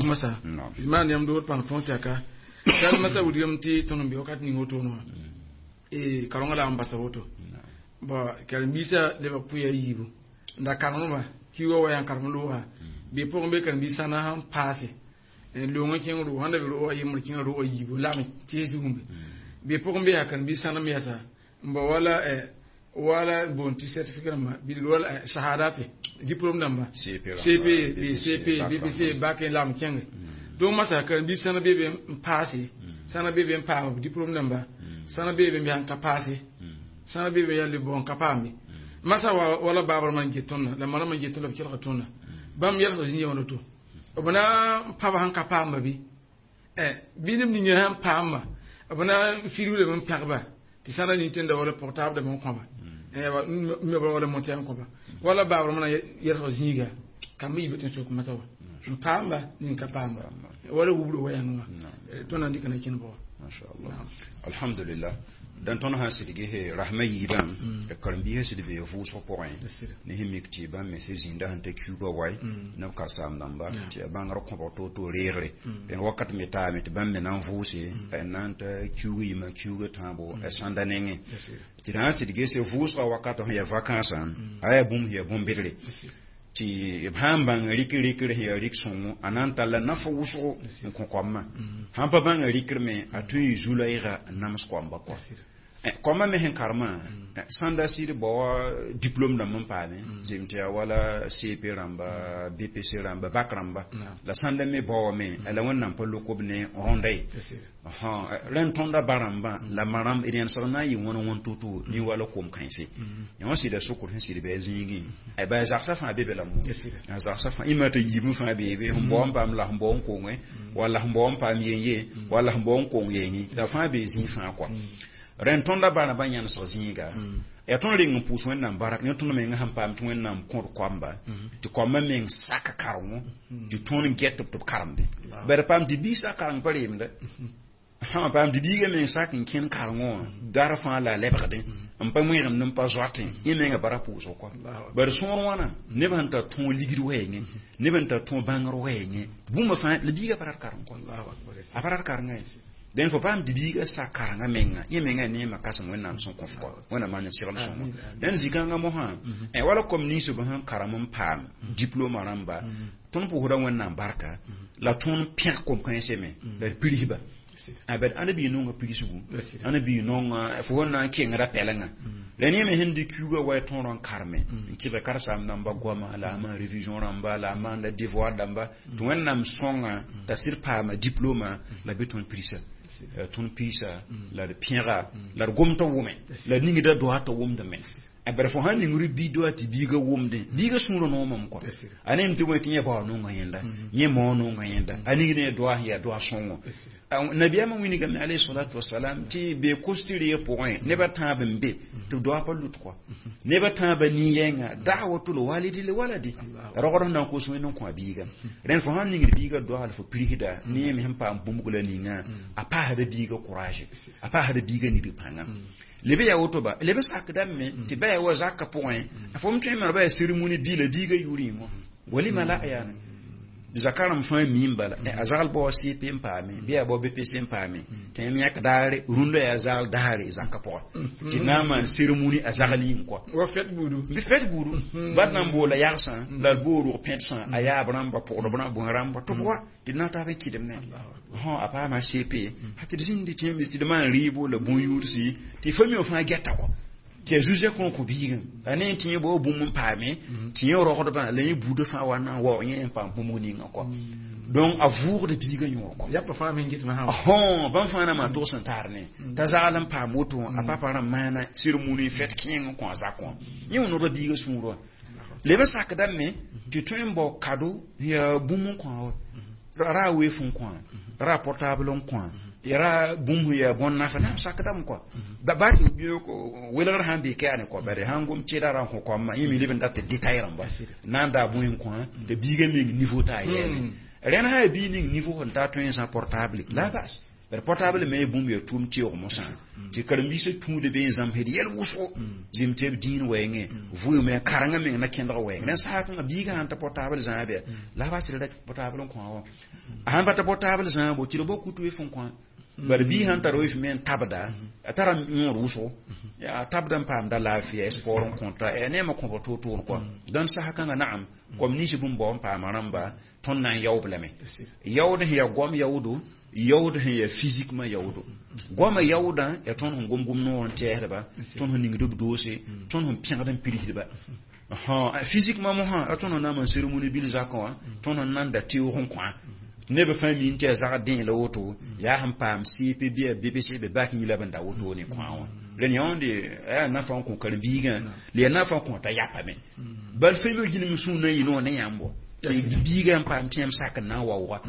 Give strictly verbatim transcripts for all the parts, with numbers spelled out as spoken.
masa maan yãmb dood pãng tõog tɛka sal masa wilgame tɩ tõnd n be wakat ning wotone wã e karengã la n basa woto bon karen-biisã lebg pʋɩ a yiibu n da karemdbã kiuugã wa yaa karem looga bee pʋgẽ be karen-biis sãna sẽn paase loongã kẽng roog sẽn da be roogã yembr kẽnga roogã yiibu lame tɩs zugumbe bee pʋgẽ be yaa karen-biis sãnem yɛsa n bao wala wala boon tɩ certificat rãmba bilg wala shahadate diplôme dãmba C P B C P B P C bac n lagem kẽnge. Donc masa karen-biis sãna bee be n paase, sãna bee be n paam diplôme dãmba, sãna bee be n sãn ka paase, sãna bee be yaa le bõn ka paambe. Masa wa wala baabr man get tõndã la ma rãmb n get tõnd la b kelga tõndã bãmb yɛlsg zĩ wãna to b na n paba sẽn ka paamba bɩ bɩ neb ninga sãn paamba b na n firglame n pẽgba tɩ sãna nintenda wala portable dãmb n kõba me wala montɛ n kõba wala baabr mana yɛlsg zĩiga kamba yibe tɩ sok masa wa n paamba nin ka paamba wala wubro wa yãngã wã tõnd na n dɩka na kẽnd bʋga. Mashallah, alhamdulillah. Dan tõnd sã sidgi he rasmã yiibã karen-biisã sɩd bee vʋʋsg pʋgẽ ne sẽn mik tɩ bãmb me sẽn zĩnda sẽn ta kiuugã wae neb ka saam dãmba tɩ yaa bãngr kõbg to-to reegre d wakat me taame tɩ bãmb me na n vʋʋse n na n ta kiuug yimã kiuugã tãabo sãnda nengẽ tɩ d sã n sɩd gese vʋʋsgã wakat sẽn yaa vakansã a yaa bũmb sẽn yaa bõn-bedre tɩ b sã n bãng rɩk rɩkr sẽn yaa rɩk sõngo a na n talla naf wʋsgo n kõ koamã sãn pa bãnga rɩkr me a tõe n yɩ zu-laɩga n nams koamba kɔa koamba me sẽn karemã sãnda sɩd bao diplôme dãmb n paame zem tɩ yaa wala C P rãmba, B P C rãmba, bac rãmba la sãnda me baoame la Wẽnnaam pa lok b ne rõnda ye rẽn tõnda ba rãmbã la ma rãmb d yẽnsg na n yɩ wãn wãn to-to ne wala kom kãense yã wã sɩda sokr sẽn sɩd bɩ a zĩigẽ ba zagsã fãa be be la mo zagsã fãa ĩmã tɩ yiibẽ fãa beebe sẽn bao n paam la sẽn bao n konge walla sẽn bao n paam yen-ye walla sẽn bao n kong yenge la fãa bee zĩig fãa kɔa rẽn tõnda ba rãmbã yãnesg zĩiga yaa tõnd reng n pʋʋs Wẽnnaam barak ne tõnd menga sẽn paam tɩ Wẽnnaam kõd koamba tɩ koambã meng sak karengo tɩ tõnd get tɩ b karemde bari paam tɩ biisã kareng pa reemda sã paam tɩ biigã meng sak n kẽn karengo wã dar fãa la a lebgdẽ n pa wẽgemd n pa zoatẽ yẽ menga bara pʋʋsg kɔa bari sõor wãna neb sẽn tar tõog ligd wɛɛngẽ neb sẽn tar tõog bãngr wɛɛngẽ bũmba fãa la biigã pa rat kareng kɔa a pa rat karengã ye dẽn fo paam tɩ biigã sak karengã menga yẽ menga yaa neemã kãsem Wẽnnaam sẽn kõ f kɔ Wẽnnaam maan segl sõngo dẽn zĩ-kãngã mosã wala kom ninsb sẽn karem n paam diplôma rãmba tõnd pʋʋsda Wẽnnaam barka la tõnd pẽg kom-kãensẽ me la d pirsba bad ãnd bɩ nonga pirsgu ãnd bɩ nonga fo sẽn na n kengra pɛlengã la ne me sẽn dɩk kiuugã wa tõor n karme n kɩg karsaam dãmba goama la a maan révision rãmba la a maanda devoir dãmba tɩ Wẽnnaam sõnga t'a sɩd paama diplôma la bɩ tõnd pirsa tõnd piisa la d pẽga la d gom t'a wʋme la d ningda doa t'a wʋmdame bara fo sãn ningr bi doa tɩ biigã wʋmdẽ biigã sũurã noomame kɔa a nem tɩ wẽ tɩ yẽ bao nonga yẽnda yẽ mao nonga yẽnda a ning ne doa sẽn yaa doa sõngo nabiyaamã wilgame alayhi salatu wasalam tɩ be kos tɩ reeg pʋgẽ nebã tãab n be tɩ doa pa lut kɔa nebã tãabã nin-yɛnga da'watul walidi li waladi rogd sẽn na n kos Wẽnd n kõ a biiga rẽnd fo sãn ningd biigã doa la fo pirsda ne me sẽn paam bũmb la ninga a paasda biigã courage a paasda biigã nigd pãnga lebe yaa woto ba lebe sakdame me tɩ ba yaa wa zakã pʋgẽ fo m tõe n ba yaa cérémonie bi la biigã yʋrɩ wã walima la yaane zakarem fãa miim bala a zagl bao C P n paame bɩ yaa bao B P C n paame tɩ yãmb yãk daare rũndã yaa zagl daare zakã pʋgẽ tɩ na n maan cérémonie a zagl yĩng kɔa wa fɛt buudu bɩ fɛt buudu bat na n boola yagsã la d boor rʋg pẽdsã a yaab rãmba pʋgdb rãmb bõe rãmba tɩ f wa tɩ d na n taab n kɩdem ne a paama C P tɩ d zĩndi tɩ tɩ d maan rɩɩbo la bõn-yʋʋdsi tɩ fa mi fãa gɛta kɔ tɩ a zu-zẽ kõ kõ biigã a ne tɩ yẽ bao bũmb n paame tɩ yẽ rogdbã la yẽ buudã fãa wa na n waoog yẽ n paam bũmb ninga kɔ donc a vʋʋgd biigã yõor kɔ yapa fãa me n get masã bãmb fãa na maan tʋgs sẽn taar ne t'a zagl n paam woto a papa rãmb maana cérémonie fɛt kẽeng n kõ a zak wã yẽ wã noda biigã sũur wã leb n sakdame tɩ tõe n bao kado yaa bũmb n kõ wa ra weef n kõ ra portable n kõ ra bũmb yaa bõn nafa na sakdame kɔa ba ba tɩ welgr sãn bee kɛa ne kɔ bare sãn gom tɩda ra n kõ koamã yẽ me leb n dat tɩ détail rãmba na n daa bõe n kõ tɩ biigã meng niveau t'a yɛɛme rẽnd sã yaa bii ning niveau sẽn ta tõe n sã portable la bas. Bari portable me bũmb yaa tʋʋm teoog mosã tɩ karen-biisã tũuda be n zãmsd yɛl wʋsgo zem tɩ b dĩin wɛɛngẽ vʋʋme karengã meng na kẽndg wɛɛng rẽnd sã kãngã biigã sãn ta portable zãab ya la a bas d portable n kõ wã a sãn pa ta portable zãabo tɩ d bao kutu wef n kõ bari bii sãn tar wef me n tabda a tara yõod wʋsgo a tabda n paamda laafɩya sport n kõta neema kõba toor-toor kɔa dãnd sasa kãngã naam kom ninsb n bao n paama rãmba tõnd na n yaoob lame yaood sẽn yaa goam yaoodo yaood sẽn yaa physiquement yaoodo goamã yaoodã yaa tõnd sẽn gom gom noor n tɛɛsdba tõnd sẽn ningd b doose tõnd sẽn pẽgd n pirsdba physiquement mosã a tõnd sẽn na n maan cérémonie bil zakã wã tõnd sẽn nan da teoog n kõa neb fãa mi n tɩ yaa zagd dẽ la woto yaa sẽn paam C P bɩ yaa B P C bɩ bak yĩ la b n da woto ne kõa wã rẽnd yãonde yaa nafa n kõ karen-biigã la yaa nafa n kõ t'a yapame bal fẽmg gilem sũur na n yɩ noor ne yãmb biiga n paam tẽem sak n na n waooga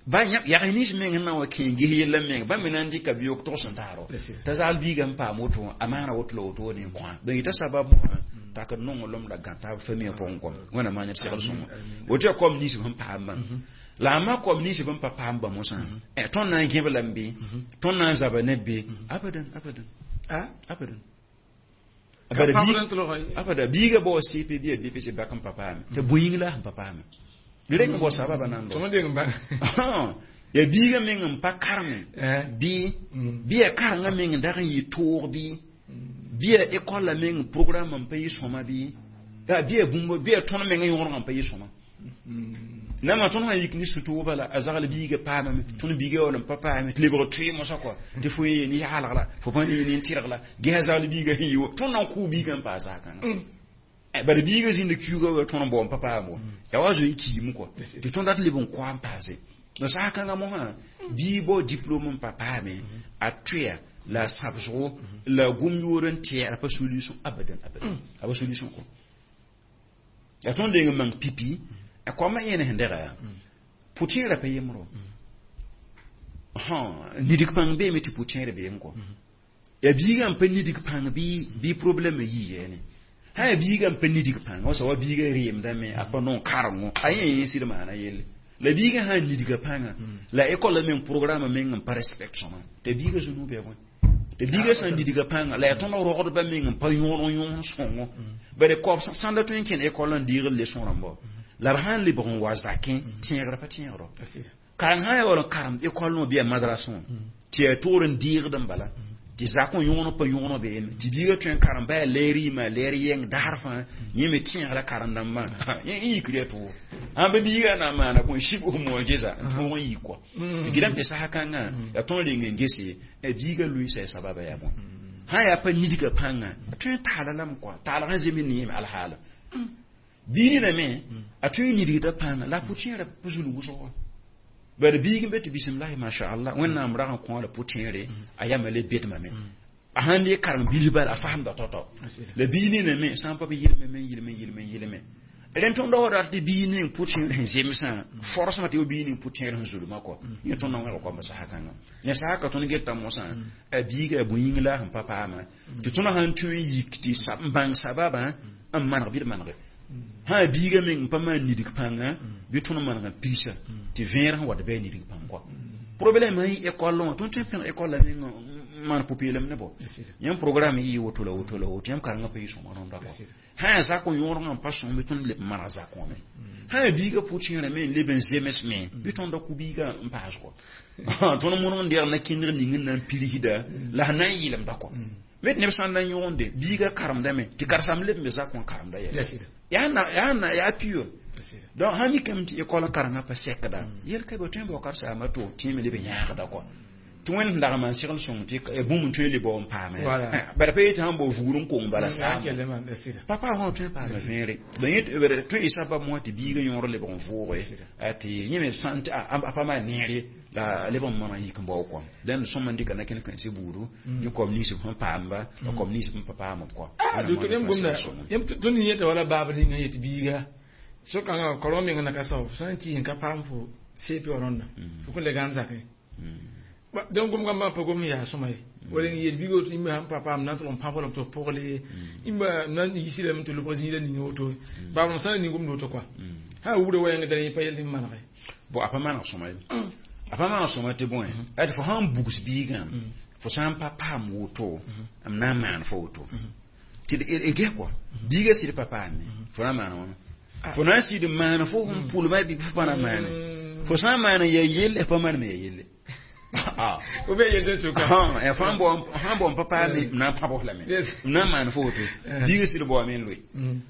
ba yag nins meng n na n wa kẽ ges yella meng bãmb me na n dɩka biyoog togs n taaro t'a zagl biiga n paam woto a maana woto la woto ne n kõa donc yɩta sabab mosã tak n nonglem la gã taab famille pʋgẽ kɔ wẽnnaam maan d segl sõngo woto yaa kom nins sẽn paambã la a ma kom nins b n pa paam ba mosã tõnd na n gẽb lame bɩ tõnd na n zaba ne be abadan abadan abadan abada biiga bao C P bɩ ya B P C bak n pa paame t'a bõe la sẽn pa paame reng n bao sababa nan ya biiga meng n pa kareme bɩ bɩ ya karengã meng n dag n yɩ toog bɩ bɩ ya école la meng programme n pa yɩ sõma bɩ bɩ ya bũmb bɩ ya tõnd meng yõorgã n pa yɩ sõma nama tõnd sã yik ne sũ-tooga bala a zagl biiga paamame tõnd biiga wall n pa paame tɩ lebg tʋɩ mosã kɔa tɩ fo yee ne yaalg la fo pa yee ne n tɩrg la ges a zagl biiga sẽn yɩ tõnd na n kʋʋ biigã n paas zag-kãngã bara biiga zĩnd kiuga wa tõnd n bao n pa paam wa yaa wa zoe kiime kɔa tɩ tõnd dat leb n koa n paase la sag-kãngã mosã bii bao diplôme n pa paame a tʋya la a sãbsgo la gom yoor n tɛɛra pa solution abadan abadan a pa solution kɔ yaa tõnd deng n mang pipi a koamã yẽne sẽn dɛga yaa pʋtẽerã pa yembrõ nidg pãng beeme tɩ pʋtẽer beem kɔ yaa biigã n pa nidg pãng bɩ bɩ problème yii yɛɛne sã yaa biigã n pa nidg pãng wasa wa biigã reemdame a pa nong karengo a yẽ yẽ sɩd maana yelle la biigã sã n nidga pãnga la école meng programme meng n pa respect sõma t'a biigã zũnu bɩa bõe tɩ biigã sã n nidga pãnga la yaa tõnd rogdba meng n pa yõod n yõs sõngo bare koab sãn da tõe n kẽn école n deegd leçon rãmba la b sã n lebg n wa zakẽ tẽegrã pa tẽegro kareng sã n yaa wall n karemd école wã bɩ yaa madrasẽ wã tɩ yaa toor n deegd n bala tɩ zak wã yõgen pa yõgen beeme tɩ biigã tõe n karem ba yaa leer yɩma leer yɛng daar fãa yẽ me tẽegra karen-dãmbã yẽ yikr yaa tʋʋg sãn pa biigã na n maana bõe shib mojeza n tõog n yik kɔa tɩ gɩdame tɩ sasa kãngã yaa tõnd reng n gese biigã loeesa yaa sababa yaa bõe sã yaa pa nidga pãnga a tõe n taala lame kɔa taalg n zeme neeme alhaala bii nina me a tõe n nidgda pãnga la a pʋtẽerã pa zulg wʋsg wã bari biig n be tɩ bismillahi mashallah wẽnnaam rag n kõ la pʋtẽere a yama le bedmame a sãn le karem bil bala a fasemda tao-tao la bii nina me sã n pa b yɩlme me yɩlme yɩlme yɩlme rẽnd tõnd wa rat tɩ bii ning pʋtẽer sẽn zemsã forsmã tɩ bii ning pʋtẽer sẽn zulmã kɔ yẽ tõnd na wẽg koamba sasa kãngã yẽ sasa ka tõnd geta mosã a biiga a bũ-yĩng la sẽn pa paama tɩ tõnd sãn tõe n yik tɩ n bãng sababã n maneg bɩ d manege sã biiga meng n pa maan nidg pãnga bɩ tõnd maneg n piisa tɩ vẽer sẽn wat bɩ a nidg pãng kɔa problème sẽn yɩ école wã tõnd tõe n pẽg école la meng n maan pʋ-peelem ne bɔ yãmb programme yɩ woto la woto la woto yãmb karengã pa yɩ sõma rõnda kɔ sã yaa zak n yõodgã n pa sõm bɩ tõnd leb n maneg zak wã me sã yaa biigã pʋtẽerã me n leb n zems me bɩ tõnd da kʋ biigã n paas kɔ tõnd modg n deeg na kẽndg ning n na n pirsda la sẽn na n yɩlemda kɔ me tɩ neb sã n na n yõgende biigã karemdame tɩ karen-saam leb n be zak wã karemda yɛs yaa na yaa na yaa pure donc sã mikame tɩ école karengã pa sɛkda yel ka bɩ tõe n bao karen-saamã to tẽeme leb n yãagda kɔ tɩ wẽnd sẽn dag n maan segl sõng tɩ bũmb n tõe n le bao n paame bara pa yetɩ sãn bao vugr n kong bala saam papa wã tõe n paama vẽere donc yẽ tõe y sabab mosã tɩ biigã yõor lebg n vʋʋge tɩ yẽ me sã a pa maan neere la leb n maneg yik n bao kɔm dẽnd sõm n dɩka na kẽnd kãense buudu yẽ kom ninsb sẽn paamba la kom ninsb n pa paam b kɔ. Tõnd yẽta wala baab ninga yetɩ biiga so-kãngã korõ meng na ka sao sã n tɩ n ka paam fo C P wã rõnda fo kõn le gãn zakẽ donc gom gamba pa gom yaa sõma ye wala n yeel biig woto yĩmba sãn pa paam na n tʋg n pãb walame tɩ b pʋgle yĩmba na n yisilame tɩ lobg zĩiga ning woto baab sã n ning gomd woto kɔa sã wugda wɛɛng dara yẽ pa yell n manege. Bon, a pa maneg sõma ye. A pa maan sõma tɩ bõe ad fo sãn bugs biigã, fo sã n pa paam woto, m na n maan fo woto tɩ d ges kɔa biigã sɩd pa paame, fo na n maana wãna? Fo na n sɩd n maan fo sẽn pʋlma bɩ fo pa na n maane? Fo sã n maan ya yelle, pa maaneme ya yelle. Ou bien yel sʋka. Fãa bao n pa paame, m na n pãbs lame, m na n maan fo woto. Biigã sɩd baoame n loe.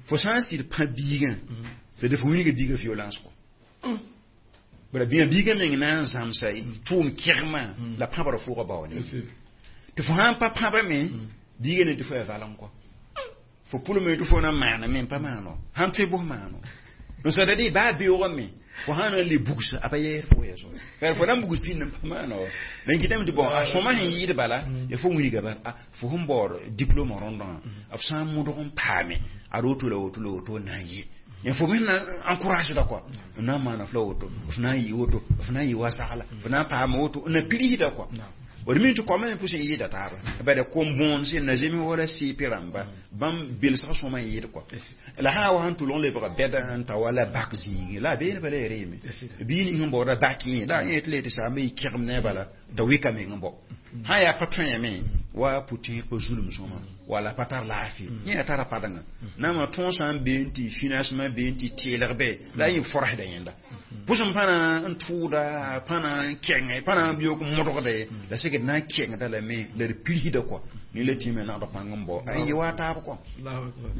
Fo sã n sɩd pã biigã, c'est de fo wilga biigã violence kɔ. Bara bĩa biigã meng na n zãmsa tʋʋm kɛgmã la pãbra fʋʋga bao ne. Tɩ fo sã n pa pãbame, biigã ne tɩ fo ya valem kɔ. Fo pʋlme tɩ fo na maaname n pa maano, sãn tõe bos maano n sada dɩ baa beoogame. Fo sã na n le bugsa, a pa yɛɛs fo yɛso bala, fo na n bugs pĩnd n pa maano. La n kɩtame tɩ bõn a sõma sẽn yɩɩd bala ya fo wilga bala. Fo sẽn baood diplôme rõndã, b sã n modg n paame ad woto la woto la woto na n yɩ ya, fo me na encourage da quoi, na maana f la woto, f na n yɩ woto, f na n yɩ wa sagla, f na n paama woto, n na pirsda quoi. D mi tɩ koamã me pʋs n yɩɩda taaba bala kom bõon sẽn na zems wala C P rãmba bãmb belsg sõma n yɩɩd kɔa. La sã wa sãn tʋlg n lebga bɛda n ta wala bak zĩigi la a beene bala ya reeme bii ning sẽn baooda bak yẽ la yẽ tɩ le tɩ saamba yɩ kẽgem ne a bala t'a wɩka meng n bao sã yaa pa tõeme wa pʋtẽeg pa zulum sõma wala pa tar laafɩ yẽ yaa tara padengã naamã tõog sã n bee n tɩ financement bee n tɩ teelg bɛ la a yẽ forsda yẽnda pʋsem pãna n tʋʋda pãna n kẽngẽ pãna n biyoog n modgde la sek d na n kẽngda lame la d pirsda kɔa ne la tɩ me nagd pãng n bao a yɩ wa taab kɔ. Allahu akbar.